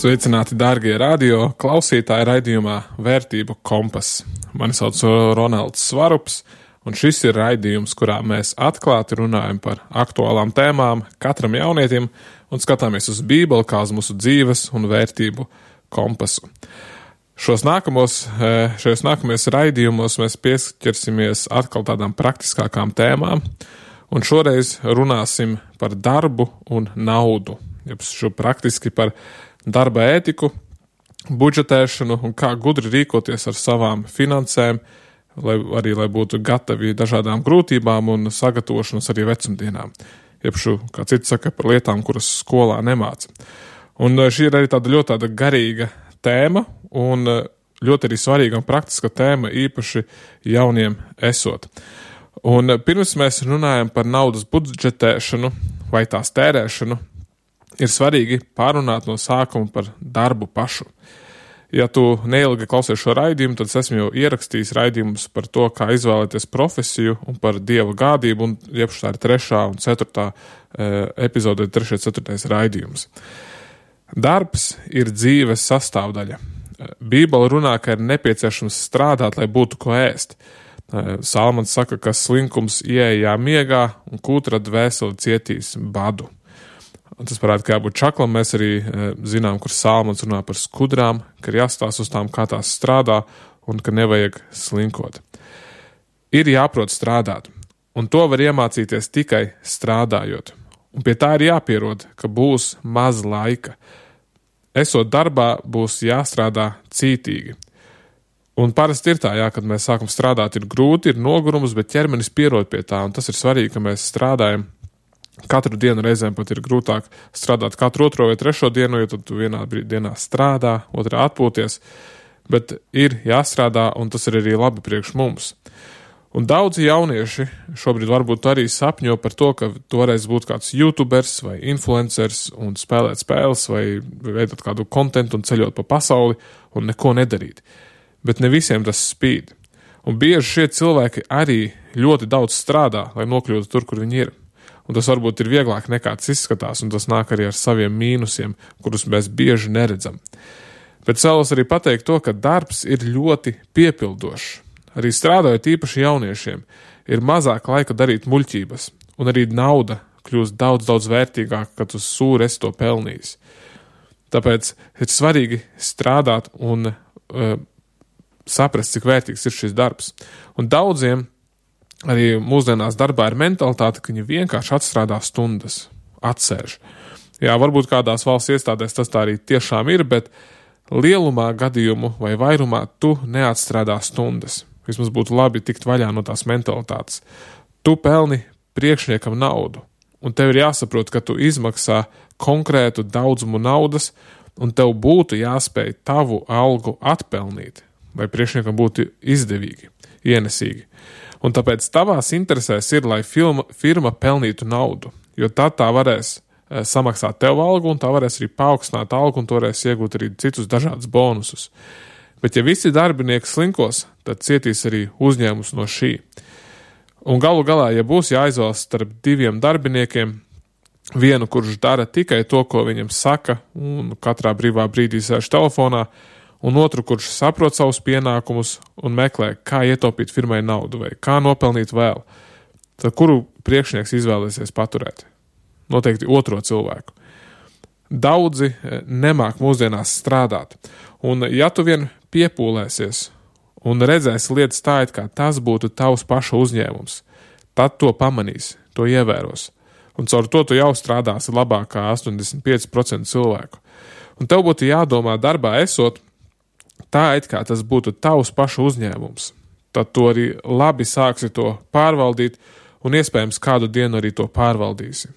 Sveicināti, dārgie radio klausītāji raidījumā Vērtību kompas. Mani sauc Ronalds Svarups, un šis ir raidījums, kurā mēs atklāti runājam par aktuālām tēmām katram jaunietim un skatāmies uz Bībeli kā uz mūsu dzīves un vērtību kompasu. Šajos nākamajos raidījumos mēs piesķersimies atkal tādām praktiskākām tēmām, un šoreiz runāsim par darbu un naudu, šo praktiski par darba ētiku, budžetēšanu un kā gudri rīkoties ar savām finansēm, lai būtu gatavi dažādām grūtībām un sagatavošanos arī vecumdienām. Kā cits saka, par lietām, kuras skolā nemāca. Un šī ir arī tāda garīga tēma un ļoti arī svarīga un praktiska tēma, īpaši jauniem esot. Un pirms mēs runājam par naudas budžetēšanu vai tās tērēšanu, ir svarīgi pārunāt no sākuma par darbu pašu. Ja tu neilgi klausies šo raidījumu, tad esmu jau ierakstījis raidījumus par to, kā izvēlēties profesiju un par Dieva gādību, un tā ir 3. un 4. epizode, 3. 4. raidījums. Darbs ir dzīves sastāvdaļa. Bībele runā, ka ir nepieciešams strādāt, lai būtu ko ēst. Salmans saka, ka slinkums ieejā miegā un kūtra dvēseli cietīs badu. Un tas parāda, ka jābūt čaklam. Mēs arī zinām, kur Salmans runā par skudrām, ka ir jāstās uz tām, kā tās strādā, un ka nevajag slinkot. Ir jāprot strādāt, un to var iemācīties tikai strādājot. Un pie tā ir jāpierod, ka būs maz laika. Esot darbā, būs jāstrādā cītīgi. Un parasti ir tā, kad mēs sākam strādāt, ir grūti, ir nogurums, bet ķermenis pierod pie tā, un tas ir svarīgi, ka mēs strādājam katru dienu. Reizēm pat ir grūtāk strādāt katru 2. vai 3. dienu, jo tad tu vienā dienā strādā, otrā atpūties, bet ir jāstrādā, un tas ir arī labi priekš mums. Un daudzi jaunieši šobrīd varbūt arī sapņo par to, ka tu varēsi būt kāds youtubers vai influencers un spēlēt spēles vai veidot kādu kontentu un ceļot pa pasauli un neko nedarīt. Bet ne visiem tas spīd. Un bieži šie cilvēki arī ļoti daudz strādā, lai nokļūtu tur, kur viņi ir. Un tas varbūt ir vieglāk nekā tas izskatās, un tas nāk arī ar saviem mīnusiem, kurus mēs bieži neredzam. Bet vēlos arī pateikt to, ka darbs ir ļoti piepildošs. Arī strādājot īpaši jauniešiem, ir mazāk laika darīt muļķības, un arī nauda kļūst daudz vērtīgāka, kad uz sūri esi to pelnījis. Tāpēc ir svarīgi strādāt un saprast, cik vērtīgs ir šis darbs. Un daudziem arī mūsdienās darbā ir mentalitāte, ka viņi vienkārši atstrādā stundas, atsēž. Jā, varbūt kādās valsts iestādēs tas tā arī tiešām ir, bet lielumā gadījumu vai vairumā tu neatstrādā stundas. Vismaz būtu labi tikt vaļā no tās mentalitātes. Tu pelni priekšniekam naudu, un tev ir jāsaprot, ka tu izmaksā konkrētu daudzumu naudas, un tev būtu jāspēj tavu algu atpelnīt, lai priekšniekam būtu izdevīgi, ienesīgi. Un tāpēc tavās interesēs ir, lai firma pelnītu naudu, jo tad tā varēs samaksāt tev algu, un tā varēs arī paaugstināt algu, un tu varēs iegūt arī citus dažādus bonusus. Bet ja visi darbinieki slinkos, tad cietīs arī uzņēmums no šī. Un galu galā, ja būs jāizvēlas starp 2 darbiniekiem, vienu, kurš dara tikai to, ko viņam saka, un katrā brīvā brīdī sēž telefonā, un otru, kurš saprot savus pienākumus un meklē, kā ietaupīt firmai naudu vai kā nopelnīt vēl, tad kuru priekšnieks izvēlēsies paturēt? Noteikti otro cilvēku. Daudzi nemāk mūsdienās strādāt, un ja tu vien piepūlēsies un redzēsi lietas tā, it kā tas būtu tavs paša uzņēmums, tad to pamanīs, to ievēros, un caur to tu jau strādāsi labāk kā 85% cilvēku. Un tev būtu jādomā darbā esot, tā, it kā tas būtu tavs paša uzņēmums. Tad tu arī labi sāksi to pārvaldīt un iespējams kādu dienu arī to pārvaldīsi.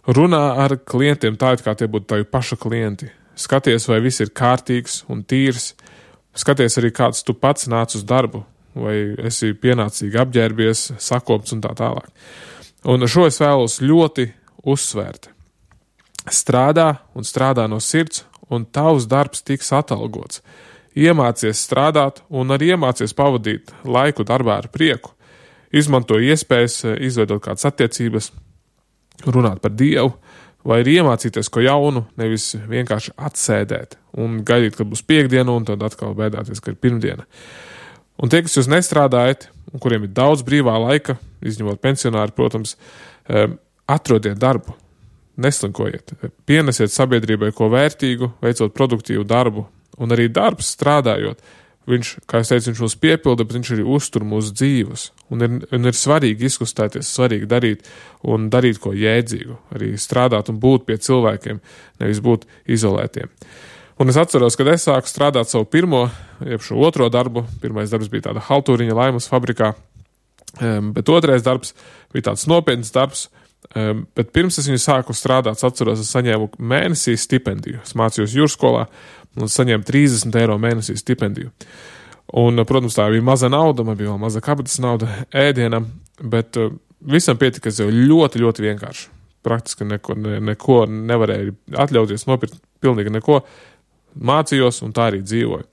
Runā ar klientiem tā, it kā tie būtu tavi paša klienti. Skaties, vai viss ir kārtīgs un tīrs. Skaties arī, kāds tu pats nāc uz darbu, vai esi pienācīgi apģērbies, sakopts un tā tālāk. Un šo es vēlos ļoti uzsvērt. Strādā un strādā no sirds, un tavs darbs tiks atalgots. Iemācies strādāt un arī iemācies pavadīt laiku darbā ar prieku. Izmanto iespējas, izveidot kādas attiecības, runāt par Dievu vai ir iemācīties ko jaunu, nevis vienkārši atsēdēt un gaidīt, kad būs piekdiena un tad atkal bēdāties, ka ir pirmdiena. Un tie, kas jūs nestrādājat, un kuriem ir daudz brīvā laika, izņemot pensionāri, protams, atrodiet darbu, neslinkojiet, pienesiet sabiedrībai ko vērtīgu, veicot produktīvu darbu, un arī darbs strādājot. Viņš, kā es teicu, viņš mūs piepilda, bet viņš arī uztur mūsu dzīves. Un ir svarīgi izkustēties, svarīgi darīt ko jēdzīgu, arī strādāt un būt pie cilvēkiem, nevis būt izolētiem. Un es atceros, kad es sāku strādāt savu šo otro darbu. Pirmais darbs bija tāda haltūriņa laimas fabrikā, bet otrais darbs bija tāds nopietns darbs. Bet pirms es viņu sāku strādāt, atceros, es saņēmu mēnesī stipendiju. Es mācījos jūrskolā un saņēmu 30 eiro mēnesī stipendiju. Un, protams, tā bija maza nauda, man bija vēl maza kabatas nauda ēdienam, bet visam pietika jau ļoti, ļoti vienkārši. Praktiski neko nevarēju atļauties, nopirkt pilnīgi neko. Mācījos un tā arī dzīvoju.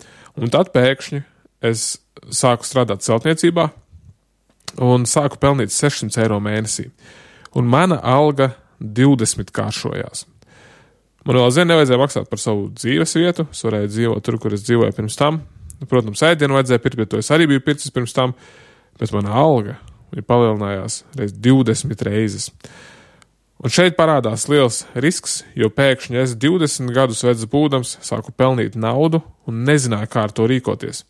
Un tad pēkšņi es sāku strādāt celtniecībā un sāku pelnīt 600 eiro mēnesī. Un mana alga 20 kāršojās. Man vēl nevajadzēja maksāt par savu dzīves vietu, es varēju dzīvot tur, kur es dzīvoju pirms tam. Protams, ēdienu vajadzēja pirkt, bet to es arī biju pircis pirms tam, bet mana alga palielinājās 20 reizes. Un šeit parādās liels risks, jo pēkšņi es 20 gadus vecs būdams sāku pelnīt naudu un nezināju, kā ar to rīkoties.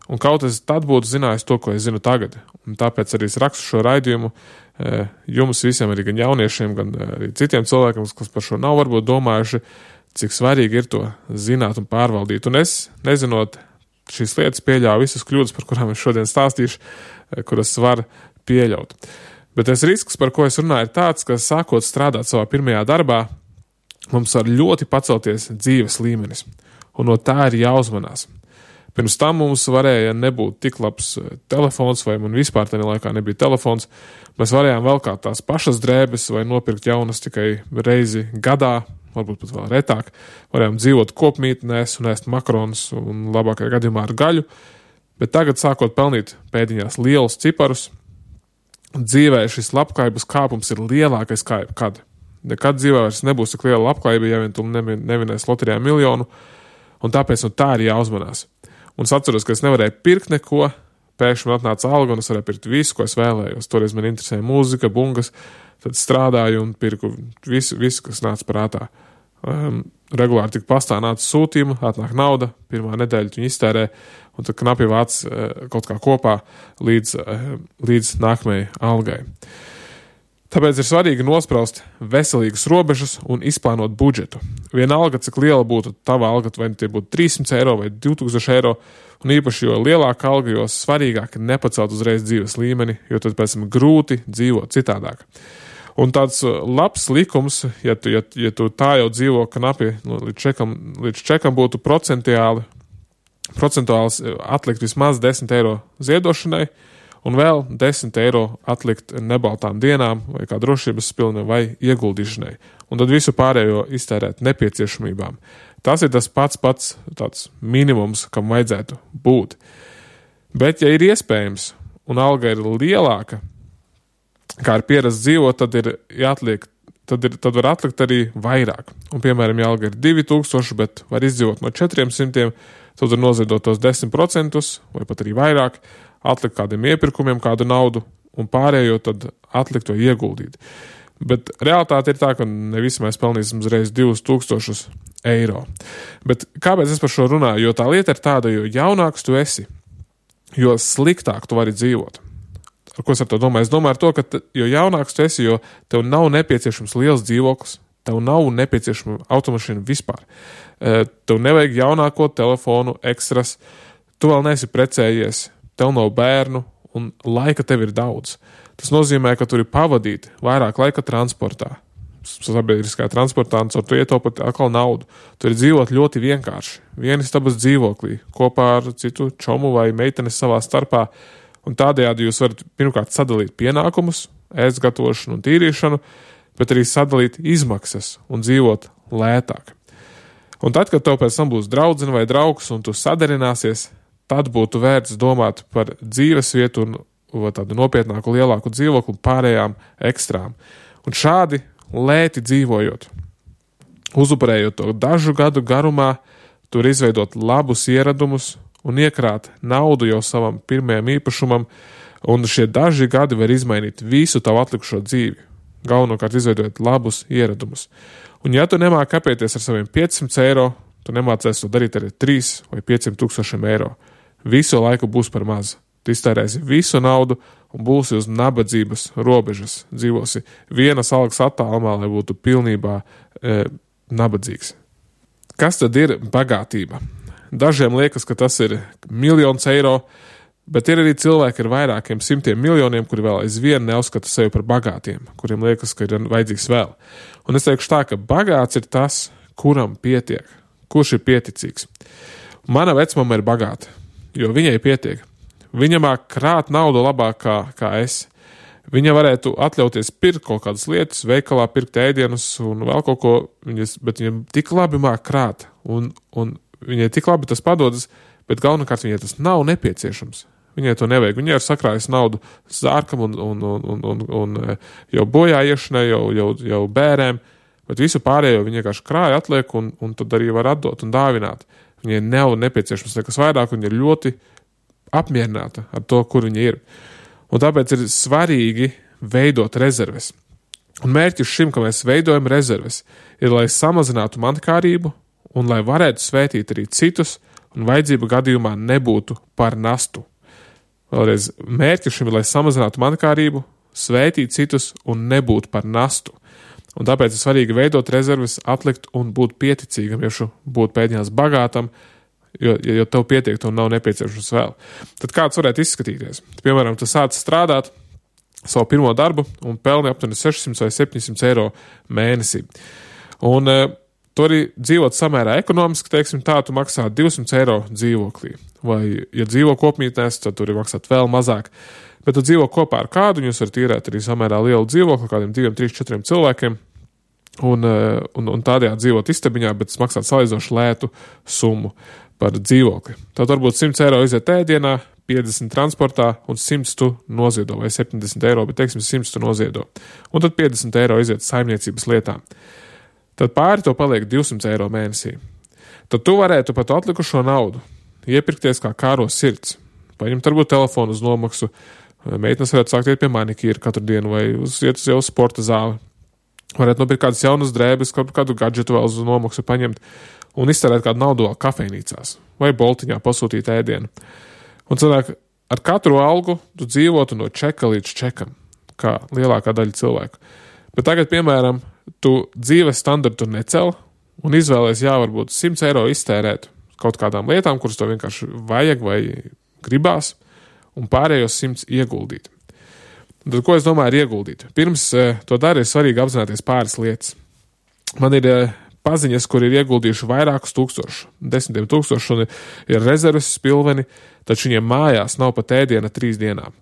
Un kaut es tad būtu zinājis to, ko es zinu tagad. Un tāpēc arī es rakstu šo raidījumu jums visiem, arī gan jauniešiem, gan arī citiem cilvēkiem, kas par šo nav varbūt domājuši, cik svarīgi ir to zināt un pārvaldīt. Un es, nezinot šīs lietas, pieļauju visas kļūdas, par kurām es šodien stāstīšu, kuras var pieļaut. Bet tas risks, par ko es runāju, ir tāds, ka sākot strādāt savā pirmajā darbā, mums var ļoti pacelties dzīves līmenis. Un no tā ir jāuzmanās. Pirms tam mums varēja nebūt tik labs telefons, vai man vispār tajā laikā nebija telefons. Mēs varējām velkāt tās pašas drēbes vai nopirkt jaunas tikai reizi gadā, varbūt pat vēl retāk. Varējām dzīvot kopmītnēs un ēst makaronus un labākajā gadījumā ar gaļu. Bet tagad, sākot pelnīt pēdiņās lielus ciparus, dzīvē šis labklājības kāpums ir lielākais kā jebkad. Nekad dzīvē vairs nebūs tik liela labklājība, ja vien tu nevinēs loterijā miljonu, un tāpēc no tā ir jāuzmanās. Un es atceros, ka es nevarēju pirkt neko, pēkšņi man atnāca alga un es varēju pirkt visu, ko es vēlējos. Toreiz man interesēja mūzika, bungas, tad strādāju un pirku visu, kas nāca prātā. Regulāri tik pastā nāca sūtījuma, atnāk nauda, pirmā nedēļa viņu iztērē, un tad knapi vāc kaut kā kopā līdz nākamajai algai. Tāpēc ir svarīgi nospraust veselīgas robežas un izplānot budžetu. Vienalga, cik liela būtu tava alga, vai tie būtu 300 eiro vai 2000 eiro, un īpaši jo lielāka alga, jo svarīgāk ir nepacelt uzreiz dzīves līmeni, jo tad pēc tam grūti dzīvot citādāk. Un tāds labs likums, ja tu tā jau dzīvo knapi, līdz čekam būtu procentuāli atlikt vismaz 10 eiro ziedošanai, un vēl 10 eiro atlikt nebaltām dienām vai kā drošības pilna vai ieguldīšanai. Un tad visu pārējo iztērēt nepieciešamībām. Tas ir tas pats tāds minimums, kam vajadzētu būt. Bet, ja ir iespējams un alga ir lielāka, kā ir pierasts dzīvot, tad var atlikt arī vairāk. Un, piemēram, ja alga ir 2000, bet var izdzīvot no 400, tad var noziedot tos 10% vai pat arī vairāk, atlikt kādiem iepirkumiem kādu naudu un pārējo tad atlikt vai ieguldīt. Bet realitāte ir tā, ka ne visi mēs pelnīsim uzreiz 2000 eiro. Bet kāpēc es par šo runāju? Jo tā lieta ir tāda, jo jaunāks tu esi, jo sliktāk tu vari dzīvot. Ar ko es ar to domāju? Es domāju ar to, ka jo jaunāks tu esi, jo tev nav nepieciešams liels dzīvoklis, tev nav nepieciešama automašīna vispār. Tev nevajag jaunāko telefonu, ekstras, tu vēl neesi precējies, tev nav bērnu un laika tev ir daudz. Tas nozīmē, ka tur ir pavadīt vairāk laika transportā. Sabiedriskā transportā un caur to ietaupot atkal naudu. Tur ir dzīvot ļoti vienkārši. Vienistabas dzīvoklī, kopā ar citu čomu vai meitenes savā starpā. Un tādējādi jūs varat pirmkārt sadalīt pienākumus, ēst gatavošanu un tīrīšanu, bet arī sadalīt izmaksas un dzīvot lētāk. Un tad, kad tev pēc tam būs draudzene vai draugs un tu sadarināsies, tad būtu vērts domāt par dzīvesvietu un tādu nopietnāku, lielāku dzīvokli un pārējām ekstrām. Un šādi lēti dzīvojot. Uzupurējot to dažu gadu garumā, tur izveidot labus ieradumus un iekrāt naudu jau savam pirmajam īpašumam, un šie daži gadi var izmainīt visu tavu atlikušo dzīvi, galvenokārt izveidot labus ieradumus. Un ja tu nemāki apieties ar saviem 500 eiro, tu nemācies to darīt arī 3 vai 500 tūkstošiem eiro. Visu laiku būs par maz. Tu iztērēsi visu naudu un būsi uz nabadzības robežas. Dzīvosi vienas algas attālumā, lai būtu pilnībā nabadzīgs. Kas tad ir bagātība? Dažiem liekas, ka tas ir 1 000 000 eiro, bet ir arī cilvēki ar vairākiem 100 miljoniem, kuri vēl aizvien neuzskata sevi par bagātiem, kuriem liekas, ka ir vajadzīgs vēl. Un es teikšu tā, ka bagāts ir tas, kuram pietiek, kurš ir pieticīgs. Mana vecmama ir bagāta, jo viņai pietiek. Viņa māk krāt naudu labāk kā es. Viņa varētu atļauties pirkt kaut kādas lietas, veikalā pirkt ēdienus un vēl kaut ko, bet viņam tik labi māk krāt, un viņai tik labi tas padodas, bet galvenokārt viņai tas nav nepieciešams. Viņai to nevajag. Viņai ir sakrājis naudu zārkam un jau bojā iešanai, jau bērēm, bet visu pārējo viņa vienkārši krāja atliek un tad arī var atdot un dāvināt. Viņai nav nepieciešams nekas vairāk, viņa ir ļoti apmierināta ar to, kur viņa ir. Un tāpēc ir svarīgi veidot rezerves. Un mērķis šim, ka mēs veidojam rezerves, ir, lai samazinātu mankārību un lai varētu svētīt arī citus un vajadzību gadījumā nebūtu par nastu. Vēlreiz, mērķis šim ir, lai samazinātu mankārību, svētīt citus un nebūtu par nastu. Un tāpēc ir svarīgi veidot rezerves, atlikt un būt pieticīgam, ja būt pēdiņās bagātam, jo tev pietiek, tev nav nepieciešams vēl. Tad kāds varētu izskatīties? Piemēram, tu sāc strādāt savu pirmo darbu un pelni aptuveni 600 vai 700 eiro mēnesī. Un tu arī dzīvot samērā ekonomiski, teiksim tā, tu maksā 200 eiro dzīvoklī. Vai, ja dzīvo kopmītnēs, tad tur ir maksāt vēl mazāk. Bet tu dzīvo kopā ar kādu, un jūs varat īrēt arī samērā lielu dzīvokli, kādiem 2, 3, 4 cilvēkiem, un tādējā dzīvot istabiņā, bet maksāt salīdzinoši lētu summu par dzīvokli. Tad varbūt 100 eiro iziet ēdienā, 50 transportā un 100 tu noziedo, vai 70 eiro, bet teiksim 100 tu noziedo. Un tad 50 eiro iziet saimniecības lietām. Tad pāri to paliek 200 eiro mēnesī. Tad tu varētu pat atlikušo naudu iepirkties kā kāro sirds. Paņemt varbūt telefonu uz nomaksu, meitnes varētu sākt iet pie manikīra katru dienu vai iet uz jau sporta zāli. Varētu nopirkt kādas jaunas drēbes, kādu gadžetu vēl uz nomaksu paņemt un iztērēt kādu naudu vēl kafejnīcās vai boltiņā pasūtīt ēdienu. Un cilvēki, ar katru algu tu dzīvotu no čeka līdz čekam, kā lielākā daļa cilvēku. Bet tagad, piemēram, tu dzīves standartu necel un izvēlies, varbūt 100 eiro iztērēt kaut kādām lietām, kuras to vienkārši vajag vai gribās, un pārējos 100 ieguldīt. Tad, ko es domāju, ir ieguldīt? Pirms to dara, ir svarīgi apzināties pāris lietas. Man ir paziņas, kur ir ieguldījuši vairākus tūkstošus, 10 000, un ir rezerves spilveni, taču viņiem mājās nav pat ēdiena 3 dienām.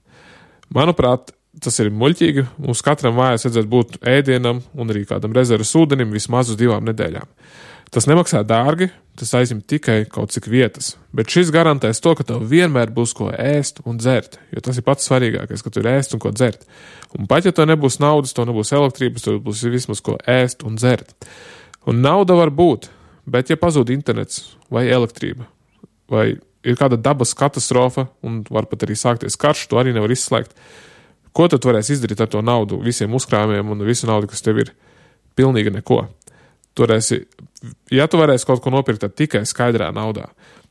Manuprāt, tas ir muļķīgi. Mums katram mājās vajadzētu būt ēdienam un arī kādam rezerves ūdenim vismaz uz 2 nedēļām. Tas nemaksā dārgi, tas aizņem tikai kaut cik vietas, bet šis garantēs to, ka tev vienmēr būs ko ēst un dzert, jo tas ir pats svarīgākais, ka tu ir ēst un ko dzert. Un pat ja tev nebūs naudas, tev nebūs elektrības, tev būs vismaz ko ēst un dzert. Un nauda var būt, bet ja pazūd internets vai elektrība, vai ir kāda dabas katastrofa un var pat arī sākties karš, to arī nevar izslēgt, ko tad varēs izdarīt ar to naudu, visiem uzkrājumiem un visu naudu, kas tev ir? Pilnīgi neko. Ja tu varēsi kaut ko nopirkt, tad tikai skaidrā naudā.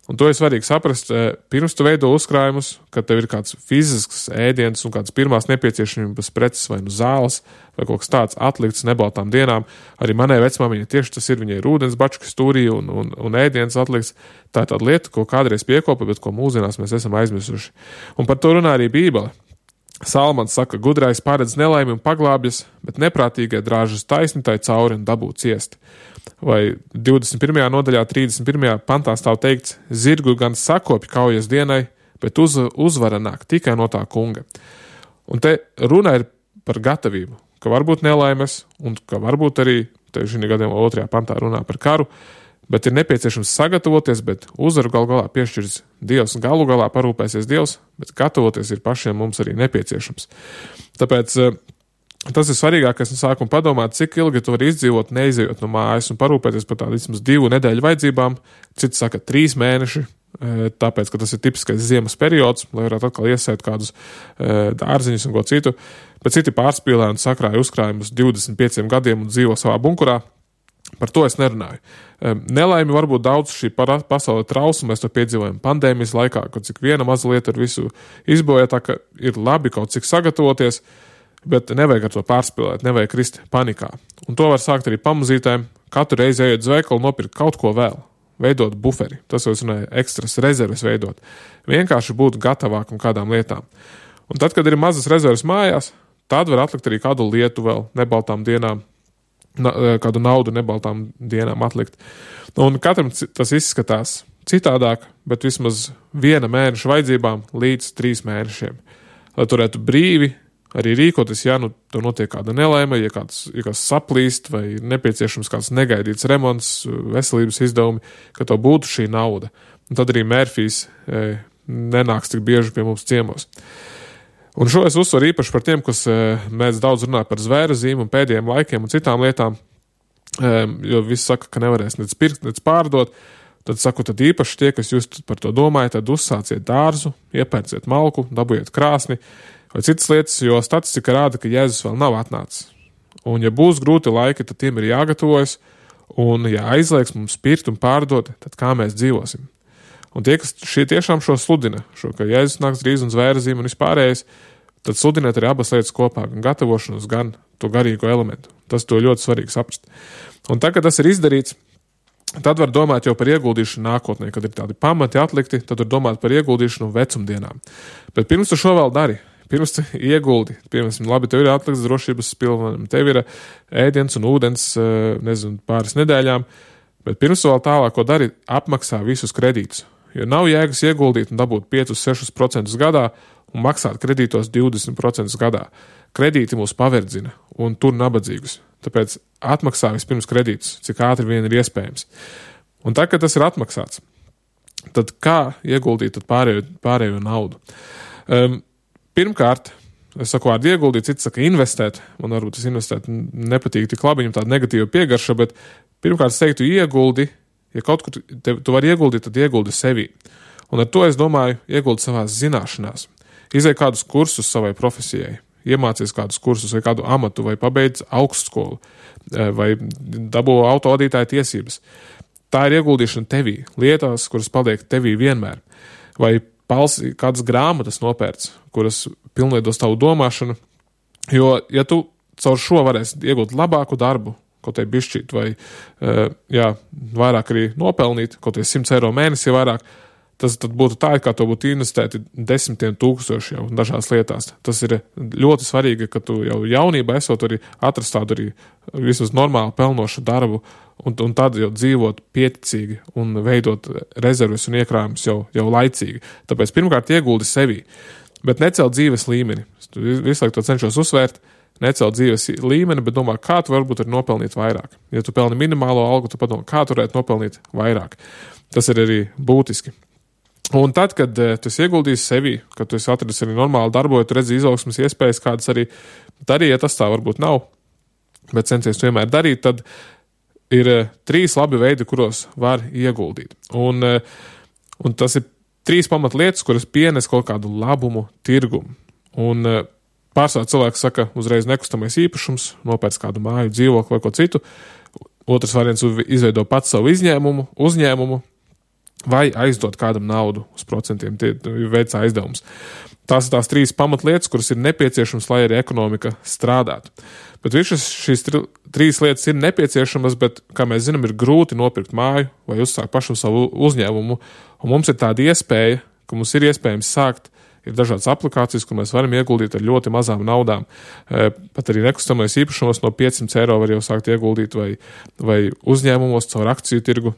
Un to ir svarīgi saprast, pirms tu veido uzkrājumus, kad tev ir kāds fizisks ēdiens un kāds pirmās nepieciešamības preces vai nu zāles vai kaut kas tāds atlikts nebaltām dienām. Arī manai vecmāmiņai tieši tas ir, viņai ir ūdens bačkas stūrī un ēdiens atlikts. Tā ir tāda lieta, ko kādreiz piekopa, bet ko mūsdienās mēs esam aizmirsuši. Un par to runā arī Bībele. Salmans saka, gudrais paredz nelaimi un paglābjas, bet neprātīgai drāžas taisni tai cauri un dabū ciest. Vai 21. nodaļā 31. pantā stāv teikts, zirgu gan sakopi kaujas dienai, bet uzvara nāk tikai no tā kunga. Un te runa ir par gatavību, ka varbūt nelaimes un ka varbūt arī, te šī gadījumā 2. pantā runā par karu, bet ir nepieciešams sagatavoties, bet uzvaru galu galā piešķirs Dievs, galu galā parūpēsies Dievs, bet gatavoties ir pašiem mums arī nepieciešams. Tāpēc Tas ir svarīgākais no sākuma padomāt, cik ilgi tu vari izdzīvot, neizejot no mājas un parūpēties par tādu vismaz 2 nedēļu vajadzībām. Citi saka 3 mēneši, tāpēc, ka tas ir tipiskais ziemas periods, lai varētu atkal iesēt kādus dārziņus un ko citu. Bet citi pārspīlē un sakrāja uzkrājumus 25 gadiem un dzīvo savā bunkurā. Par to es nerunāju. Nelaimi varbūt daudz šī pasaule trausma, mēs to piedzīvojam pandēmijas laikā, kad cik viena maza lieta ar visu izboja, tā ka ir labi kaut cik sagatavoties, bet nevajag ar to pārspīlēt, nevajag krist panikā. Un to var sākt arī pamazītēm, katru reizi ejot uz veikalu, nopirkt kaut ko vēl, veidot buferi, tas jau es runāju, ekstras rezerves veidot, vienkārši būt gatavākam kādām lietām. Un tad, kad ir mazas rezerves mājās, tad var atlikt arī kādu lietu vēl nebaltām dienām, kādu naudu nebaltām dienām atlikt. Un katram tas izskatās citādāk, bet vismaz 1 mēneša vajadzībām līdz 3 mēnešiem. Lai turētu brīvi arī rīkoties, ja nu to notiek kāda nelaime, ja kāds saplīst vai nepieciešams kāds negaidīts remonts, veselības izdevumi, ka to būtu šī nauda. Un tad arī Mērfijs nenāks tik bieži pie mums ciemos. Un šo es uzsveru īpaši par tiem, kas mēdz daudz runāt par zvēra zīmu un pēdējiem laikiem un citām lietām, jo visi saka, ka nevarēs nec pirkt, nec pārdot. Tad saku, tad īpaši tie, kas jūs par to domājat, tad uzsāciet dārzu, iepērciet malku, dabūjiet krāsni vai citas lietas, jo statistika rāda, ka Jēzus vēl nav atnācis. Un ja būs grūti laiki, tad tiem ir jāgatavojas, un ja aizliegs mums pirkt un pārdot, tad kā mēs dzīvosim? Un tie, kas šie tiešām šo sludina, ka Jēzus nāks drīz un zvēra zīme un vispārējais, tad sludiniet arī abas lietas kopā, gan gatavošanos, gan to garīgo elementu. Tas to ļoti svarīgi saprast. Un tad, kad tas ir izdarīts, tad var domāt jau par ieguldīšanu nākotnē, kad ir tādi pamati atlikti, tad var domāt par ieguldīšanu vecumdienām. Bet pirms tu šo vēl dari, pirms tu ieguldi, piemēram, labi, tev ir atlikts drošības pilnvaram, tev ir ēdiens un ūdens, pāris nedēļām, bet pirms tu vēl tālāko dari, apmaksā visus kredītus. Jo nav jēgas ieguldīt un dabūt 5-6% gadā un maksāt kredītos 20% gadā. Kredīti mūs paverdzina un tur nabadzīgus. Tāpēc atmaksā vispirms kredītus, cik ātri vien ir iespējams. Un tad, kad tas ir atmaksāts, tad kā ieguldīt tad pārējo naudu? Pirmkārt, es saku vārdu ieguldīt, cits saka investēt. Man varbūt tas investēt nepatīk tik labi, viņam tāda negatīva piegarša, bet pirmkārt es teiktu ieguldi. Ja kaut kur tu vari ieguldīt, tad ieguldi sevī. Un ar to es domāju ieguldi savās zināšanās. Izej kādus kursus savai profesijai, iemācies kādus kursus vai kādu amatu, vai pabeidz augstskolu, vai dabū autovadītāja tiesības. Tā ir ieguldīšana tevī, lietās, kuras paliek tevī vienmēr. Vai kādas grāmatas nopērts, kuras pilnveidos tavu domāšanu, jo, ja tu caur šo varēsi iegūt labāku darbu, kaut vai bišķīt, vai vairāk arī nopelnīt, kaut vai 100 eiro mēnesī vairāk, tas tad būtu tā, kā to būtu investēti 10 000 jau dažās lietās. Tas ir ļoti svarīgi, ka tu jau jaunībā esot arī atrast tādu arī vismaz normālu pelnošu darbu, un tad jau dzīvot pieticīgi un veidot rezerves un iekrājumus jau laicīgi. Tāpēc pirmkārt ieguldi sevī, bet necelt dzīves līmeni. Visu laiku to cenšos uzsvērt, necelt dzīves līmeni, bet domā, kā tu varbūt arī nopelnīt vairāk. Ja tu pelni minimālo algu, tu padomā, kā tu varētu nopelnīt vairāk. Tas ir arī būtiski. Un tad, kad tu esi ieguldījis sevi, kad tu esi atradis arī normāli darboju, tu redzi izaugsmas iespējas, kādas arī darīja, ja tas tā varbūt nav, bet censies vienmēr darīt, tad ir 3 labi veidi, kuros var ieguldīt. Un tas ir 3 pamatlietas, kuras pienes kaut kādu labumu tirgumu. Un pārsvarā cilvēks saka uzreiz nekustamais īpašums, nopērc kādu māju, dzīvokli vai ko citu. Otrs variants izveido pats savu uzņēmumu, vai aizdot kādam naudu uz procentiem, tie veicā aizdevums. Tās ir tās 3 pamatlietas, kuras ir nepieciešamas, lai arī ekonomika strādātu. Bet šīs 3 lietas ir nepieciešamas, bet, kā mēs zinām, ir grūti nopirkt māju vai uzsākt pašu savu uzņēmumu. Un mums ir tāda iespēja, ka mums ir iespējams sākt. Ir dažādas aplikācijas, kur mēs varam ieguldīt ar ļoti mazām naudām. Pat arī nekustamais īpašumos no 500 eiro var jau sākt ieguldīt vai uzņēmumos caur akciju tirgu,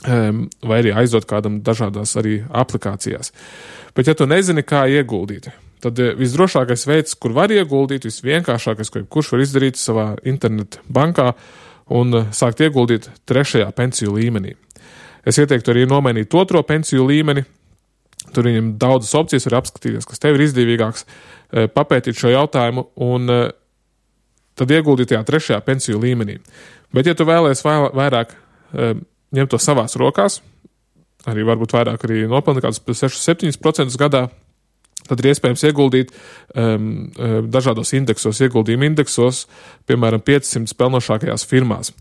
vai arī aizdot kādam dažādās arī aplikācijās. Bet ja tu nezini, kā ieguldīt, tad visdrošākais veids, kur var ieguldīt, visvienkāršākais, ko kurš var izdarīt savā internet bankā un sākt ieguldīt 3. pensiju līmenī. Es ieteiktu arī nomainīt 2. pensiju līmeni. Tur viņam daudzas opcijas var apskatīties, kas tev ir izdevīgāks, papētīt šo jautājumu un tad ieguldīt tajā 3. pensiju līmenī. Bet, ja tu vēlies vairāk ņemt to savās rokās, arī varbūt vairāk arī nopelni kādus 6-7% gadā, tad ir iespējams ieguldīt dažādos indeksos, ieguldījumu indeksos, piemēram, 500 pelnošākajās firmās.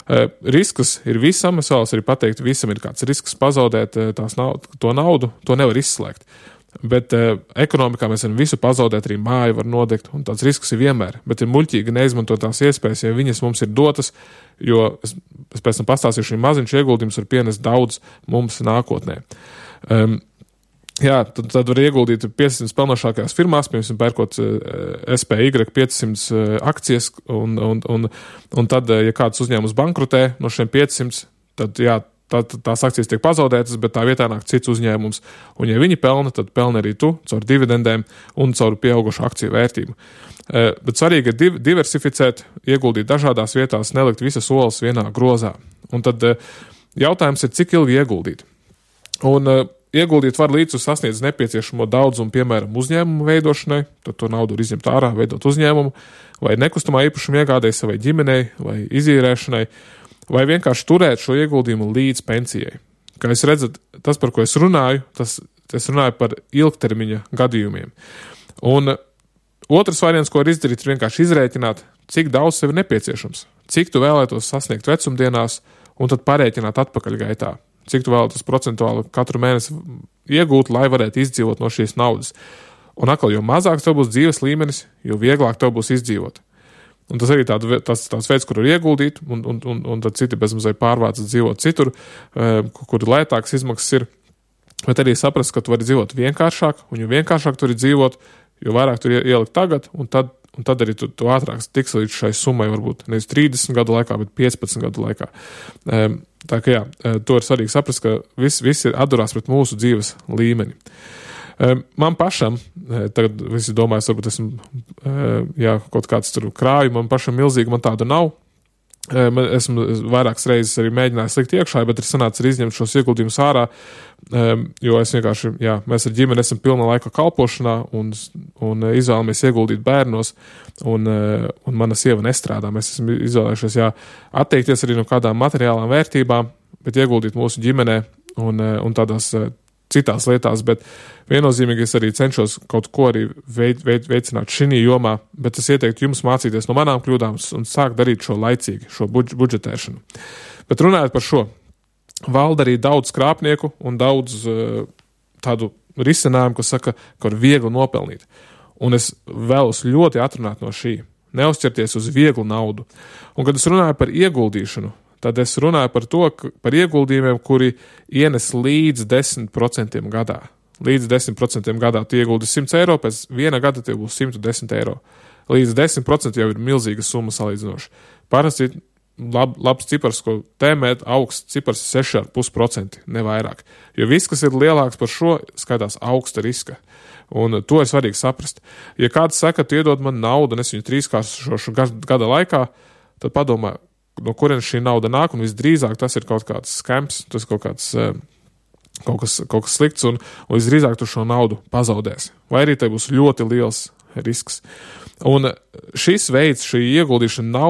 Risks ir visam, es vēlos arī pateikt, visam ir kāds risks pazaudēt to naudu, to nevar izslēgt. Bet ekonomikā mēs varam visu pazaudēt, arī māju var nodegt, un tāds risks ir vienmēr. Bet ir muļķīgi neizmantot tās iespējas, ja viņas mums ir dotas, jo es pēc tam pastāstīšu, šī maziņš ieguldījums var pienest daudz mums nākotnē. Tad var ieguldīt 500 pelnošākajās firmās, piemēram, pērkot SPY 500 akcijas, un tad, ja kāds uzņēmums bankrotē no šiem 500, tad tās akcijas tiek pazaudētas, bet tā vietā nāk cits uzņēmums. Un ja viņi pelna, tad pelna arī tu caur dividendēm un caur pieaugušu akciju vērtību. Bet svarīgi ir diversificēt, ieguldīt dažādās vietās, nelikt visas olas vienā grozā. Un tad jautājums ir, cik ilgi ieguldīt. Un ieguldīt var līdz sasniedz nepieciešamo daudzumu, piemēram, uzņēmumu veidošanai, tad to naudu var izņemt ārā, veidot uzņēmumu, vai nekustamā īpašuma iegādēji savai ģimenei, vai izīrēšanai, vai vienkārši turēt šo ieguldījumu līdz pensijai. Kā jūs redzat, tas, par ko es runāju, es runāju par ilgtermiņa gadījumiem. Un otrs variants, ko var izdarīt, ir vienkārši izrēķināt, cik daudz sev ir nepieciešams, cik tu vēlētos sasniegt vecumdienās, un tad parēķināt atpakaļ gaitā, cik tu vēlētos procentuāli katru mēnesi iegūt, lai varētu izdzīvot no šīs naudas. Un atkal, jo mazāks tev būs dzīves līmenis, jo vieglāk tev būs izdzīvot. Un tas arī tāds veids, kur var ieguldīt, un tad citi bezmazai pārvācas dzīvot citur, kur lētāks izmaksas ir. Bet arī saprast, ka tu vari dzīvot vienkāršāk, un jo vienkāršāk tu vari dzīvot, jo vairāk tu ielikt tagad, un tad arī tu ātrāk tiks līdz šai summai, varbūt nevis 30 gadu laikā, bet 15 gadu laikā. Tā kā to ir svarīgi saprast, ka viss ir atdurās pret mūsu dzīves līmeni. Man pašam, tagad visi domājas, varbūt esmu kaut kāds tur krāju, man pašam milzīgi, man tādu nav. Esmu vairākas reizes arī mēģinājis likt iekšā, bet ir sanācis arī izņemt šos ieguldījumus ārā, jo es vienkārši, mēs ar ģimeni esam pilna laika kalpošanā un izvēlamies ieguldīt bērnos, un mana sieva nestrādā. Mēs esam izvēlējušies, atteikties arī no kādām materiālām vērtībām, bet ieguldīt mūsu ģimenē un tādās citās lietās, bet viennozīmīgi es arī cenšos kaut ko arī veicināt šī jomā, bet es ieteiktu jums mācīties no manām kļūdām un sākt darīt šo laicīgi, šo budžetēšanu. Bet runājot par šo, valda arī daudz krāpnieku un daudz tādu risinājumu, kas saka, ka var viegli nopelnīt. Un es vēlos ļoti atrunāt no šī, neuzķerties uz vieglu naudu. Un kad es runāju par ieguldīšanu, tad es runāju par ieguldījumiem, kuri ienes līdz 10% gadā. Līdz 10% gadā tu ieguldi 100 eiro, pēc viena gada tev būs 110 eiro. Līdz 10% jau ir milzīga summa salīdzinoši. Parasti labs cipars, ko tēmēt, augsts cipars 6,5%, ne vairāk. Jo viss, kas ir lielāks par šo, skaitās augsta riska. Un to ir svarīgi saprast. Ja kāds saka, tu iedod man naudu, un es viņu 3-kāršošu gada laikā, tad padomā, no kurienes šī nauda nāk, un visdrīzāk tas ir kaut kāds skams, tas ir kaut kas slikts, un visdrīzāk tu šo naudu pazaudēsi. Vai arī te būs ļoti liels risks. Un šis veids, šī ieguldīšana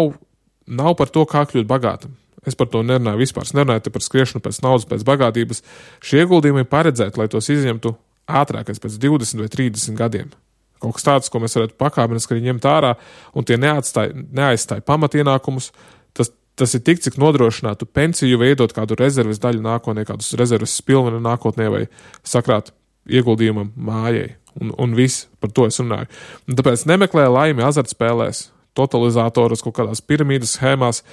nav par to, kā kļūt bagātam. Es par to nerunāju vispār. Es nerunāju te par skriešanu pēc naudas, pēc bagātības. Šie ieguldījumi ir paredzēti, lai tos izņemtu ātrākais pēc 20 vai 30 gadiem. Kaut kas tāds, ko mēs varētu pakāpeniski ņemt ārā, un tie neaizstāja pamatienākumus. Tas ir tik, cik nodrošinātu pensiju, vai iedot kādu rezerves daļu nākotnē, kādus rezerves pilvenu nākotnē, vai sakrāt ieguldījumam mājai. Un viss, par to es runāju. Un tāpēc nemeklē laimi azartspēlēs, totalizatoros, kaut kādās piramīdas schēmās,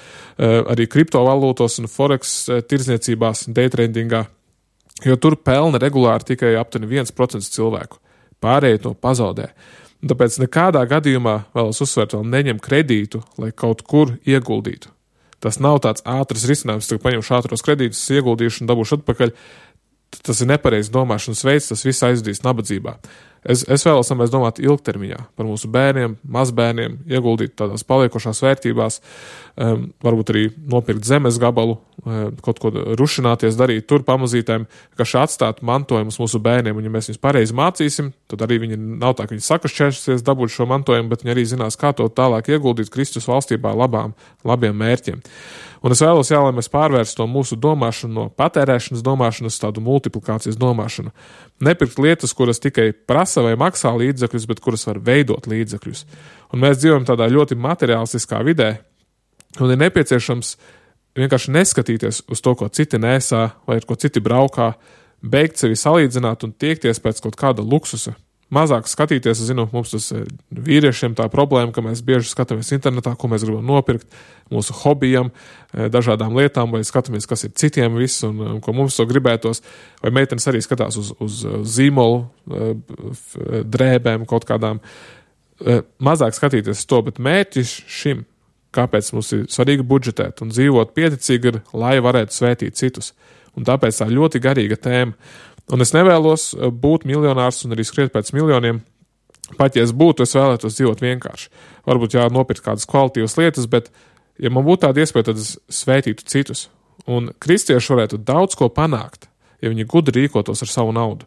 arī kriptovalūtos un forex tirdzniecībās, daytradingā, jo tur pelna regulāri tikai aptuveni 1% cilvēku. Pārējie to pazaudē. Un tāpēc nekādā gadījumā, vēlos uzsvērt, vēl neņem kredītu, lai kaut kur ieguldītu. Tas nav tāds ātrs risinājums, ka paņemšu ātros kredītus, ieguldīšu un dabūšu atpakaļ. Tas ir nepareizs domāšanas veids, tas viss aizdīs nabadzībā. Es vēlos, lai mēs domātu ilgtermiņā par mūsu bērniem, mazbērniem, ieguldīt tādās paliekošās vērtībās, varbūt arī nopirkt zemes gabalu, kaut ko rušināties, darīt tur pamazītēm, ka atstāt mantojumus mūsu bērniem, un ja mēs viņus pareizi mācīsim, tad arī viņi nav tā, ka viņi sakašķēsies dabūt šo mantojumu, bet viņi arī zinās, kā to tālāk ieguldīt Kristus valstībā labiem mērķiem. Un es vēlos, lai mēs pārvērstu to mūsu domāšanu no patērēšanas domāšanas tādu multiplikācijas domāšanu. Nepirkt lietas, kuras tikai prasa vai maksā līdzekļus, bet kuras var veidot līdzekļus. Un mēs dzīvojam tādā ļoti materiālistiskā vidē, un ir nepieciešams vienkārši neskatīties uz to, ko citi nesā vai ar ko citi braukā, beigt sevi salīdzināt un tiekties pēc kaut kāda luksusa. Mazāk skatīties, zinu, mums tas vīriešiem tā problēma, ka mēs bieži skatāmies internetā, ko mēs gribam nopirkt, mūsu hobijam, dažādām lietām, vai skatāmies, kas ir citiem viss un ko mums to gribētos, vai meitenes arī skatās uz zīmolu, drēbēm kaut kādām. Mazāk skatīties uz to, bet mērķis šim, kāpēc mums ir svarīgi budžetēt un dzīvot pieticīgi ir, lai varētu svētīt citus. Un tāpēc tā ļoti garīga tēma. Un es nevēlos būt miljonārs un arī skriet pēc miljoniem. Pat ja es būtu, es vēlētos dzīvot vienkārši. Varbūt nopirkt kādas kvalitīvas lietas, bet ja man būtu tāda iespēja, tad es svētītu citus. Un kristieši varētu daudz ko panākt, ja viņi gudri rīkotos ar savu naudu.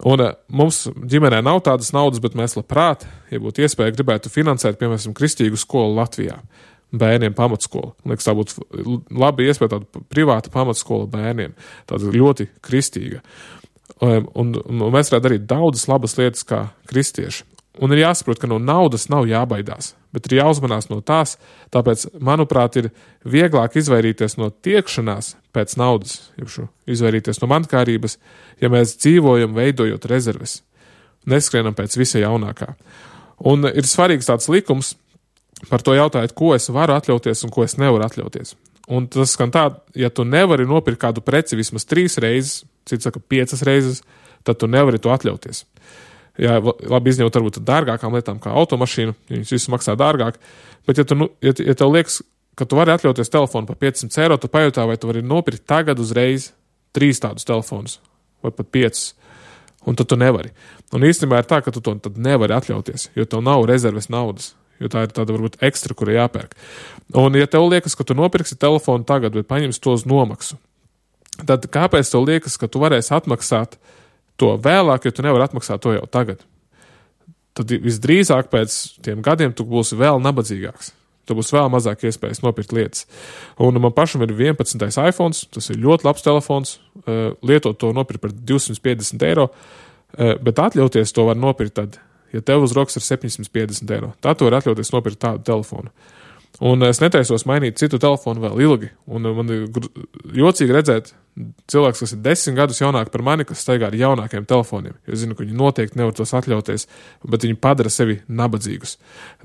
Un mums ģimenē nav tādas naudas, bet mēs labprāt, ja būtu iespēja, gribētu finansēt, piemēram, kristīgu skolu Latvijā. Bērniem pamatskola. Liekas, tā būtu labi iespēja tāda privāta pamatskola bērniem. Tāda ļoti kristīga. Un mēs varētu darīt daudzas labas lietas kā kristieši. Un ir jāsaprot, ka no naudas nav jābaidās, bet ir jāuzmanās no tās, tāpēc, manuprāt, ir vieglāk izvairīties no tiekšanās pēc naudas, izvairīties no mankārības, ja mēs dzīvojam veidojot rezerves, neskrienam pēc visa jaunākā. Un ir svarīgs tāds likums, par to jautājot, ko es varu atļauties un ko es nevaru atļauties. Un tas skan tā, ja tu nevari nopirkt kādu preci vismaz 3 reizes, cits saka 5 reizes, tad tu nevari to atļauties. Jā, labi izņemt varbūt dārgākām lietām kā automašīnu, viņas visu maksā dārgāk, bet ja tev liekas, ka tu vari atļauties telefonu par 500 eiro, tu pajautā, vai tu vari nopirkt tagad uzreiz 3 tādus telefonus, vai pat 5, un tad tu nevari. Un īstenībā ir tā, ka tu to tad nevari atļauties, jo tev nav rezerves naudas. Jo tā ir tāda varbūt ekstra, kura jāpērk. Un ja tev liekas, ka tu nopirksi telefonu tagad, bet paņemsi to uz nomaksu, tad kāpēc tev liekas, ka tu varēsi atmaksāt to vēlāk, jo tu nevari atmaksāt to jau tagad? Tad visdrīzāk pēc tiem gadiem tu būsi vēl nabadzīgāks. Tu būs vēl mazāk iespējas nopirkt lietas. Un man pašam ir 11. iPhones, tas ir ļoti labs telefons, lietot to nopirkt par 250 eiro, bet atļauties to var nopirkt tad, ja tev uz rokas ir 750 eiro. Tā tu var atļauties nopirkt tādu telefonu. Un es netaisos mainīt citu telefonu vēl ilgi. Un man ir jocīgi redzēt cilvēks, kas ir 10 gadus jaunāk par mani, kas staigā ar jaunākiem telefoniem. Jo es zinu, ka viņi noteikti nevar tos atļauties, bet viņi padara sevi nabadzīgus.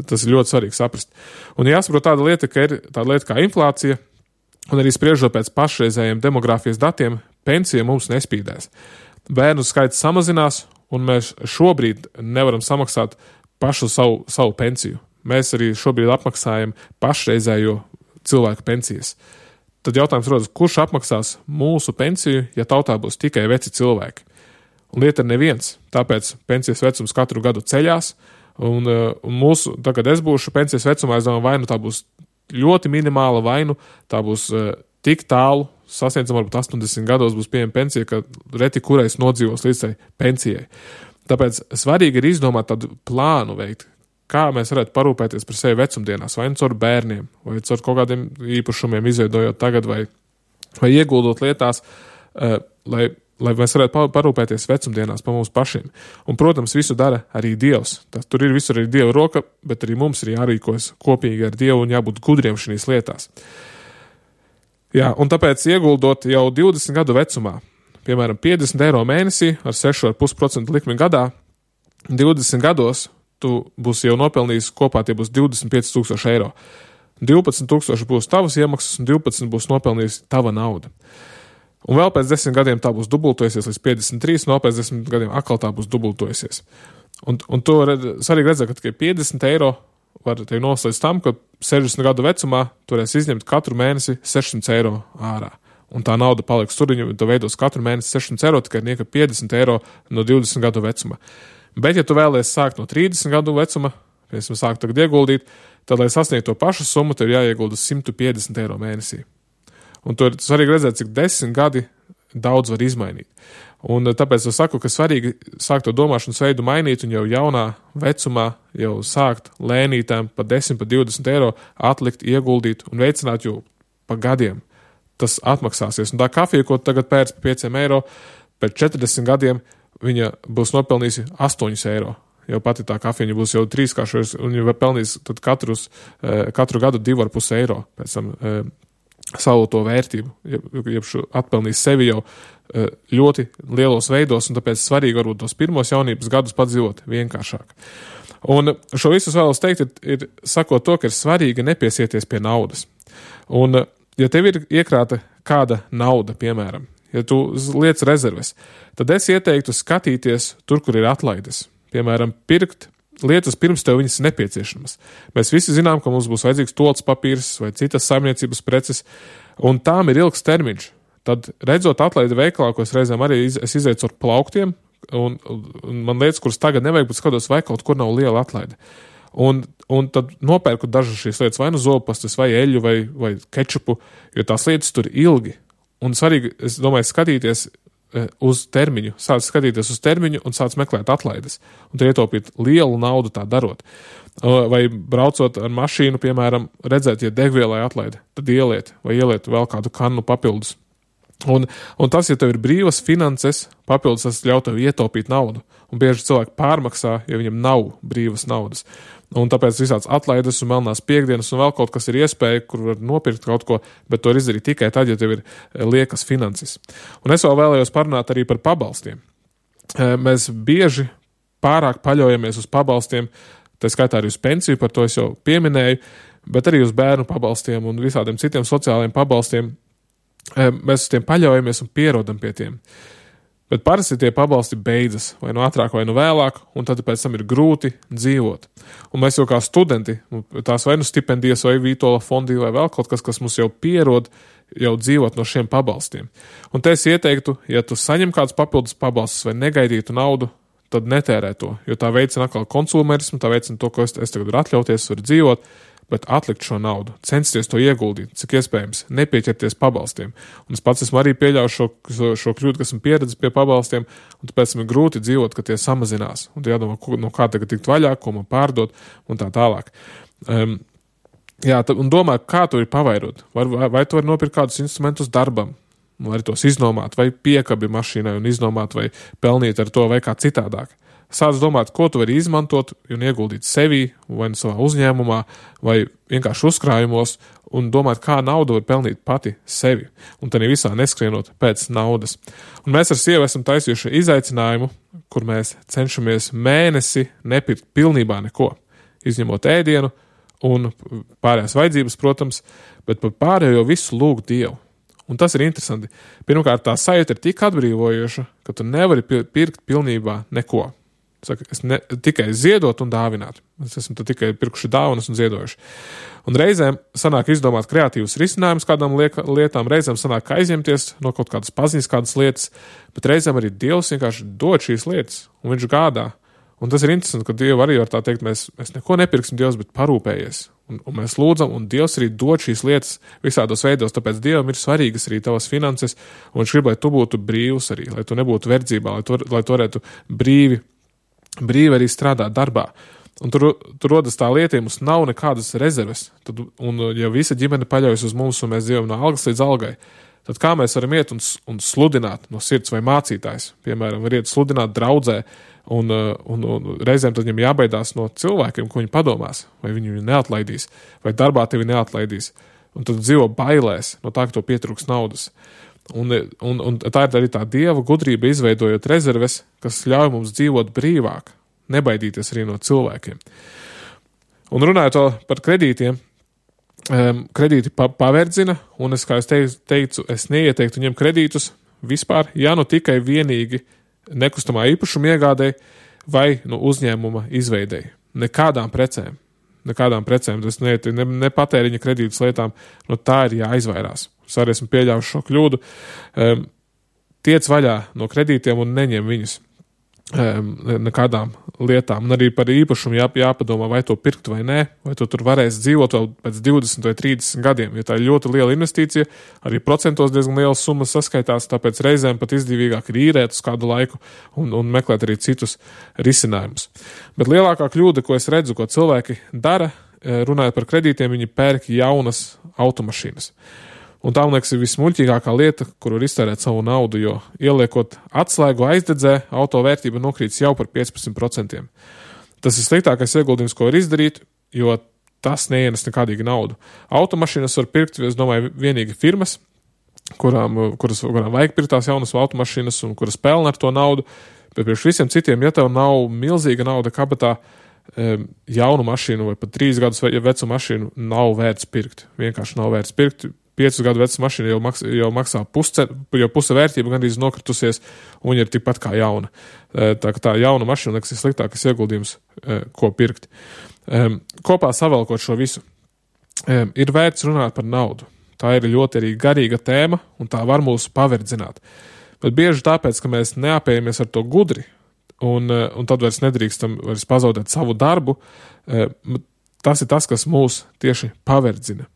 Tas ir ļoti svarīgi saprast. Un jāsaprot tāda lieta, ka ir tāda lieta kā inflācija, un arī spriežot pēc pašreizējiem demogrāfijas datiem, pensija mums nespīdēs. Bērnu skaits samazinās, un mēs šobrīd nevaram samaksāt pašu savu pensiju. Mēs arī šobrīd apmaksājam pašreizējo cilvēku pensijas. Tad jautājums rodas, kurš apmaksās mūsu pensiju, ja tautā būs tikai veci cilvēki? Un lieta ir neviens, tāpēc pensijas vecums katru gadu ceļās, un mūsu, tagad es būšu pensijas vecumā, es domāju, vai nu tā būs ļoti minimāla, vai nu tā būs tik tālu, sasniedzam varbūt 80 gados būs pieejama pensija, ka reti kurais nodzīvos līdz tai pensijai. Tāpēc svarīgi ir izdomāt tādu plānu veikt, kā mēs varētu parūpēties par sevi vecumdienās, vai caur bērniem, vai caur kaut kādiem īpašumiem izveidojot tagad, vai ieguldot lietās, lai mēs varētu parūpēties vecumdienās par mums pašiem. Un, protams, visu dara arī Dievs. Tur ir visur arī Dieva roka, bet arī mums ir jārīkojas kopīgi ar Dievu un jābūt gudriem šīs lietās. Jā, un tāpēc ieguldot jau 20 gadu vecumā, piemēram, 50 eiro mēnesī ar 6,5% likmi gadā, 20 gados tu būsi jau nopelnījis kopā, tie būs 25,000 eiro. 12,000 būs tavas iemaksas un 12 būs nopelnījis tava nauda. Un vēl pēc 10 gadiem tā būs dubultojusies līdz 53, un vēl pēc 10 gadiem atkal tā būs dubultojusies. Un to svarīgi redzēt, ka tikai 50 eiro var tevi noslēdz tam, ka 60 gadu vecumā tu varēsi izņemt katru mēnesi 600 eiro ārā. Un tā nauda paliks tur, tu veidos katru mēnesi 600 eiro, tikai nieka 50 eiro no 20 gadu vecuma. Bet, ja tu vēlies sākt no 30 gadu vecuma, piemēram, sākt tagad ieguldīt, tad, lai sasniegtu to pašu summu, tev ir jāiegulda 150 eiro mēnesī. Un tur svarīgi redzēt, cik 10 gadi daudz var izmainīt. Un tāpēc es saku, ka svarīgi sākt to domāšanas veidu mainīt un jau jaunā vecumā jau sākt lēnītām pa 10, pa 20 eiro atlikt, ieguldīt un veicināt jau pa gadiem. Tas atmaksāsies. Un tā kafija, ko tagad pērc pa 5 eiro, pēc 40 gadiem viņa būs nopelnījusi 8 eiro. Jau pati tā kafija būs jau 3-kāršojusi un jau pelnīs tad katru gadu 2,5 eiro pēc tam savu to vērtību, jeb atpelnīs sevi jau ļoti lielos veidos, un tāpēc svarīgi varbūt tos pirmos jaunības gadus padzīvot vienkāršāk. Un šo visu vēlos teikt, ir sakot to, ka ir svarīgi nepiesieties pie naudas. Un, ja tev ir iekrāta kāda nauda, piemēram, ja tu liec rezerves, tad es ieteiktu skatīties tur, kur ir atlaides. Piemēram, pirkt lietas pirms tev viņas nepieciešamas. Mēs visi zinām, ka mums būs vajadzīgs tolts papīrs vai citas saimniecības preces, un tām ir ilgs termiņš. Tad, redzot atlaidi veikalā, ko es reizēm arī es izēju ar plauktiem, un man lietas, kuras tagad nevajag, bet skatos, vai kaut kur nav liela atlaide. Un tad nopērku dažas šīs lietas, vai nu zobpastas, vai eļu, vai kečupu, jo tās lietas tur ilgi. Un svarīgi, es domāju, skatīties uz termiņu, sāc skatīties uz termiņu un sāc meklēt atlaides. Un tu ietaupīt lielu naudu tā darot. Vai braucot ar mašīnu, piemēram, redzēt, ja degvielai atlaide, tad ieliet vēl kādu kannu papildus. Un tas, ja tev ir brīvas finanses, papildus tas ļauj tev ietaupīt naudu. Un bieži cilvēki pārmaksā, ja viņam nav brīvas naudas. Un tāpēc visāds atlaides un melnās piekdienas un vēl kaut kas ir iespēja, kur var nopirkt kaut ko, bet to izdarīt tikai tad, ja tev ir liekas finanses. Un es vēl vēlējos parunāt arī par pabalstiem. Mēs bieži pārāk paļaujamies uz pabalstiem, tā skaitā arī uz pensiju, par to es jau pieminēju, bet arī uz bērnu pabalstiem un visādiem citiem sociālajiem pabalstiem. Mēs uz tiem paļaujamies un pierodam pie tiem. Bet parasti tie pabalsti beidzas, vai nu ātrāk, vai nu vēlāk, un tad pēc tam ir grūti dzīvot. Un mēs jau kā studenti, tās vai nu stipendijas, vai Vītola fondi, vai vēl kaut kas mums jau pierod, jau dzīvot no šiem pabalstiem. Un te es ieteiktu, ja tu saņem kādus papildus pabalstus vai negaidītu naudu, tad netērē to, jo tā veicina atkal konsumerismu, tā veicina to, ko es tagad varu atļauties, varu dzīvot, bet atlikt šo naudu, censties to ieguldīt, cik iespējams, nepieķerties pabalstiem. Un es pats esmu arī pieļauju šo kļūdu, kas esmu pieredzis pie pabalstiem, un tāpēc man ir grūti dzīvot, ka tie samazinās. Un tu jādomā, no kā tagad tikt vaļā, ko man pārdot, un tā tālāk. Un domā, kā to ir pavairot. Vai tu vari nopirkt kādus instrumentus darbam, vai tos iznomāt, vai piekabi mašīnai un iznomāt, vai pelnīt ar to, vai kā citādāk. Sāc domāt, ko tu vari izmantot un ieguldīt sevī, vai savā uzņēmumā, vai vienkārši uzkrājumos, un domāt, kā naudu var pelnīt pati sevi, un tad visā neskrienot pēc naudas. Un mēs ar sievu esam taisījuši izaicinājumu, kur mēs cenšamies mēnesi nepirkt pilnībā neko, izņemot ēdienu un pārējās vajadzības, protams, bet par pārējo visu lūgt Dievu. Un tas ir interesanti. Pirmkārt, tā sajūta ir tik atbrīvojoša, ka tu nevari pirkt pilnībā neko. Saka, tikai ziedot un dāvināt. Mēs esam tikai pirkuši dāvanas un ziedojuši. Un reizēm sanāk izdomāt kreatīvus risinājumus kādām lietām, reizēm sanāk aizņemties no kaut kādas paziņas, kādas lietas, bet reizēm arī Dievs vienkārši dod šīs lietas, un viņš gādā. Un tas ir interesanti, ka Dievu arī var tā teikt, mēs neko nepirksim Dievs, bet parūpējies. Un mēs lūdzam, un Dievs arī dod šīs lietas visādos veidos, tāpēc Dievam ir svarīgas arī tavas finanses, un viņš grib, lai tu būtu brīvs arī, lai tu nebūtu verdzībā, lai tu varētu brīvi arī strādāt darbā. Un tur rodas tā lieta, ja mums nav nekādas rezerves, un ja visa ģimene paļaujas uz mums, un mēs dzīvojam no algas līdz algai, tad kā mēs varam iet un sludināt no sirds vai mācītājs? Piemēram, var iet sludināt draudzē, un reizēm tad viņam jābaidās no cilvēkiem, ko viņi padomās, vai viņi neatlaidīs, vai darbā tevi neatlaidīs. Un tad dzīvo bailēs no tā, ka to pietrūks naudas. Un tā ir arī tā Dieva gudrība, izveidojot rezerves, kas ļauj mums dzīvot brīvāk, nebaidīties arī no cilvēkiem. Un runājot par kredītiem, kredīti paverdzina, un kā es teicu, es neieteiktu ņemt kredītus vispār, ja nu tikai vienīgi nekustamā īpašuma iegādēji vai uzņēmuma izveidēji. Nekādām precēm, tas nepatēriņa kredītas lietām, no tā ir jāizvairās. Es arī esmu pieļāvuši šo kļūdu. Tiec vaļā no kredītiem un neņem viņus. nekādām lietām. Un arī par īpašumu jāpadomā, vai to pirkt vai nē, vai tu tur varēsi dzīvot vēl pēc 20 vai 30 gadiem. Ja tā ir ļoti liela investīcija, arī procentos diezgan lielas summas saskaitās, tāpēc reizēm pat izdevīgāk ir īrēt uz kādu laiku un meklēt arī citus risinājumus. Bet lielākā kļūda, ko es redzu, ko cilvēki dara, runājot par kredītiem, viņi pērk jaunas automašīnas. Un tā, man liekas, ir vismuļķīgākā lieta, kur var iztērēt savu naudu, jo ieliekot atslēgu aizdedzē, auto vērtība nokrītas jau par 15%. Tas ir sliktākais ieguldījums, ko var izdarīt, jo tas neienes nekādīgi naudu. Automašīnas var pirkt, es domāju, vienīgi firmas, kurām vajag pirkt tās jaunas automašīnas un kuras pelna ar to naudu, bet priekš visiem citiem, ja tev nav milzīga nauda kabatā, jaunu mašīnu vai pat 3 gadus vecu mašīnu nav vērts pirkt. Vienkārši nav vērts pirkt. 5 gadu veca mašīna jau maksā puse vērtība gandrīz nokritusies, un viņa ir tikpat kā jauna. Tā jauna mašīna, liekas, ir sliktākais ieguldījums, ko pirkt. Kopā savalkot šo visu, ir vērts runāt par naudu. Tā ir ļoti arī garīga tēma, un tā var mūs paverdzināt. Bet bieži tāpēc, ka mēs neapējamies ar to gudri, un tad vairs nedrīkstam pazaudēt savu darbu, tas ir tas, kas mūs tieši paverdzina.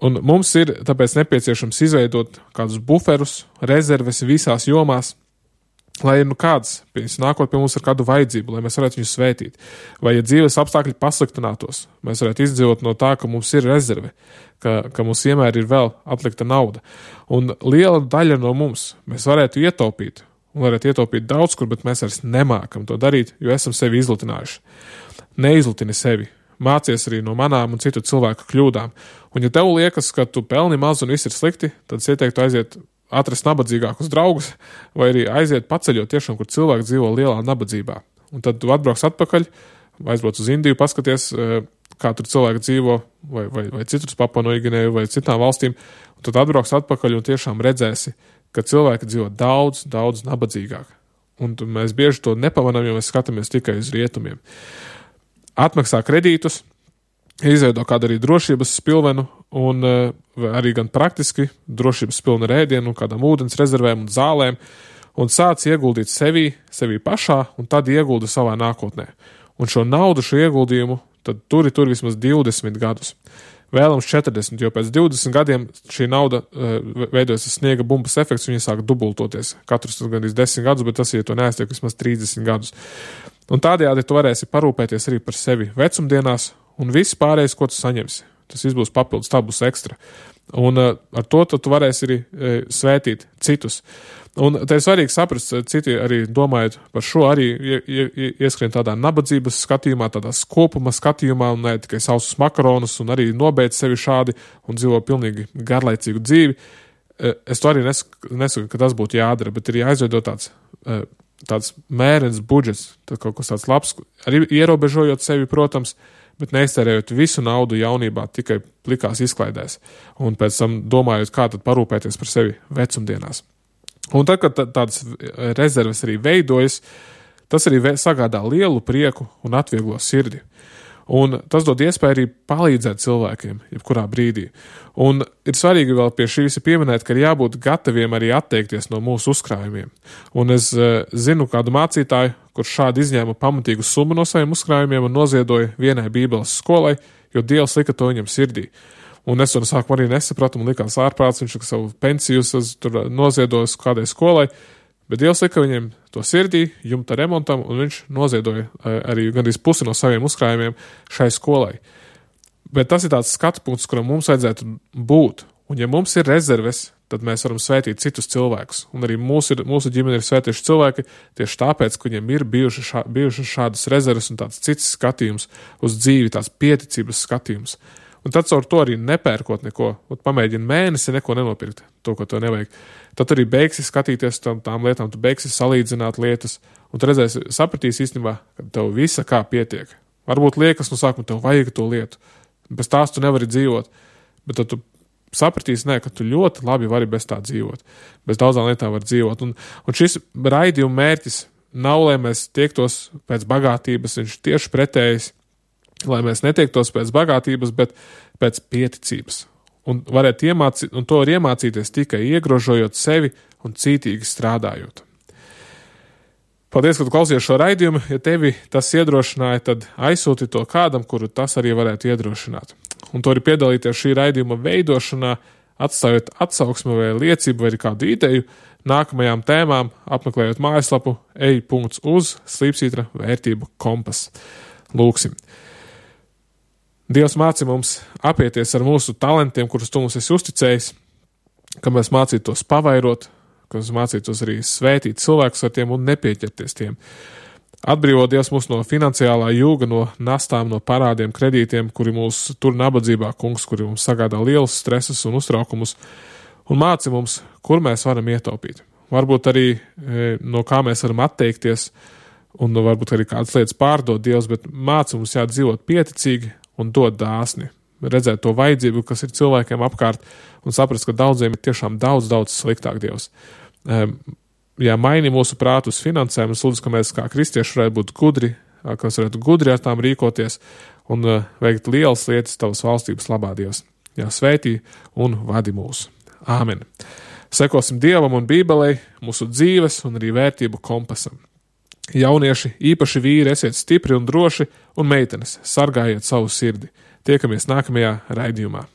Un mums ir tāpēc nepieciešams izveidot kādus buferus, rezerves visās jomās, lai kāds nākot pie mums ar kādu vajadzību, lai mēs varētu viņu svētīt. Vai, ja dzīves apstākļi pasliktinātos, mēs varētu izdzīvot no tā, ka mums ir rezerve, ka mums vienmēr ir vēl atlikta nauda. Un liela daļa no mums mēs varētu ietaupīt, un varētu ietaupīt daudz kur, bet mēs vairs nemākam to darīt, jo esam sevi izlutinājuši. Neizlutini sevi. Mācies arī no manām un citu cilvēku kļūdām. Un ja tev liekas, ka tu pelni maz un viss ir slikti, tad es ieteiktu aiziet atrast nabadzīgākus draugus vai arī aiziet paceļot tiešām, kur cilvēki dzīvo lielā nabadzībā. Un tad tu atbrauks atpakaļ, aizbrauc uz Indiju, paskaties, kā tur cilvēki dzīvo vai citur Papua Noigineju vai citām valstīm, un tad atbrauks atpakaļ un tiešām redzēsi, ka cilvēki dzīvo daudz, daudz nabadzīgāk. Un mēs bieži to nepamanām, jo mēs skatāmies tikai uz rietumiem. Atmaksā kredītus, izveido kādu arī drošības spilvenu un arī gan praktiski drošības spilvenu ar ēdienu un kādām ūdens rezervēm un zālēm un sāc ieguldīt sevi pašā un tad ieguldi savā nākotnē. Un šo naudu, šo ieguldījumu, tad tur vismaz 20 gadus. Vēlams 40, jo pēc 20 gadiem šī nauda veidojas sniega bumbas efekts, viņa sāk dubultoties. Katrs gandrīz 10 gadus, bet tas, ja to neaiztiek, vismaz 30 gadus. Un tādējādi tu varēsi parūpēties arī par sevi vecumdienās, un viss pārējais, ko tu saņemsi. Tas viss būs papildus, tā būs ekstra. Un ar to tu varēsi arī svētīt citus. Un te ir svarīgi saprast, citi arī domājot par šo, arī ieskrien tādā nabadzības skatījumā, tādā skopuma skatījumā, un ne tikai sausus makaronus, un arī nobeidz sevi šādi un dzīvo pilnīgi garlaicīgu dzīvi. Es to arī nesaku, ka tas būtu jādara, bet ir jāizveido tāds mērens budžets, kaut kas tāds labs, arī ierobežojot sevi, protams, bet neiztērējot visu naudu jaunībā tikai plikās izklaidēs, un pēc tam domājot, kā tad parūpēties par sevi vecumdienās. Un tad, kad tādas rezerves arī veidojas, tas arī sagādā lielu prieku un atvieglo sirdi. Un tas dod iespēju arī palīdzēt cilvēkiem, jebkurā brīdī. Un ir svarīgi vēl pie šī visa pieminēt, ka ir jābūt gataviem arī atteikties no mūsu uzkrājumiem. Un es zinu kādu mācītāju, kurš šādi izņēma pamatīgu summu no saviem uzkrājumiem un noziedoja vienai bībeles skolai, jo Dievs lika to viņam sirdī. Un es to sākumā arī nesapratu, man likās ārprāts, viņš savu pensiju noziedojis kādai skolai, bet Dievs lika viņiem to sirdī, jumta remontam, un viņš noziedoja arī gandrīz pusi no saviem uzkrājumiem šai skolai. Bet tas ir tāds skatu punkts, kuram mums vajadzētu būt. Un ja mums ir rezerves, tad mēs varam svētīt citus cilvēkus. Un arī mūsu ģimene ir svētījuši cilvēki tieši tāpēc, ka viņiem ir bijušas šādas rezerves un tāds cits skatījums uz dzīvi, tāds pieticības skatījums. Un tad caur to arī nepērkot neko, pamēģini mēnesi neko nenopirkt, to, ko tev nevajag. Tad arī beigsi skatīties tām lietām, tu beigsi salīdzināt lietas, un tu redzēsi, sapratīsi īstenībā, ka tev visa kā pietiek. Varbūt liekas no sākuma tev vajag to lietu, bez tās tu nevari dzīvot, bet tad tu sapratīsi, ka tu ļoti labi vari bez tā dzīvot, bez daudzām lietām var dzīvot. Un šis raidījuma mērķis nav, lai mēs tiektos pēc bagātības, viņš tieši pretējs, lai mēs netiektos pēc bagātības, bet pēc pieticības. Un to var iemācīties tikai iegrožojot sevi un cītīgi strādājot. Paldies, ka tu klausies šo raidījumu. Ja tevi tas iedrošināja, tad aizsūti to kādam, kuru tas arī varētu iedrošināt. Un to arī piedalīties šī raidījuma veidošanā, atstājot atsauksmi vai liecību vai kādu ideju nākamajām tēmām, apmeklējot mājaslapu ej.uz/slīpsvītra vērtību kompas. Lūksim. Dievs māci mums apieties ar mūsu talantiem, kurus tu mums esi uzticējis, ka mēs mācītos pavairot, ka mēs mācītos arī svētīt cilvēkus ar tiem un nepieķerties tiem. Atbrīvo Dievs mūs no finansiālā jūga, no nastām, no parādiem, kredītiem, kuri mūs tur nabadzībā, kungs, kuri mums sagādā lielus stresus un uztraukumus, un māci mums, kur mēs varam ietaupīt. Varbūt arī no kā mēs varam atteikties, un varbūt arī kādas lietas pārdot Dievs, bet māci mums dzīvot pieticīgi un dot dāsni. Redzēt to vajadzību, kas ir cilvēkiem apkārt, un saprast, ka daudziem ir tiešām daudz sliktāk Dievs. Ja maini mūsu prātu uz finansēm, es lūdzu, ka mēs kā kristieši varētu būt gudri, ka mēs varētu gudri ar tām rīkoties un veikt lielas lietas tavas valstības labā, Dievs. Jā, svētī un vadi mūs. Āmen. Sekosim Dievam un Bībelei, mūsu dzīves un arī vērtību kompasam. Jaunieši, īpaši vīri, esiet stipri un droši, un meitenes, sargājiet savu sirdi. Tiekamies nākamajā raidījumā.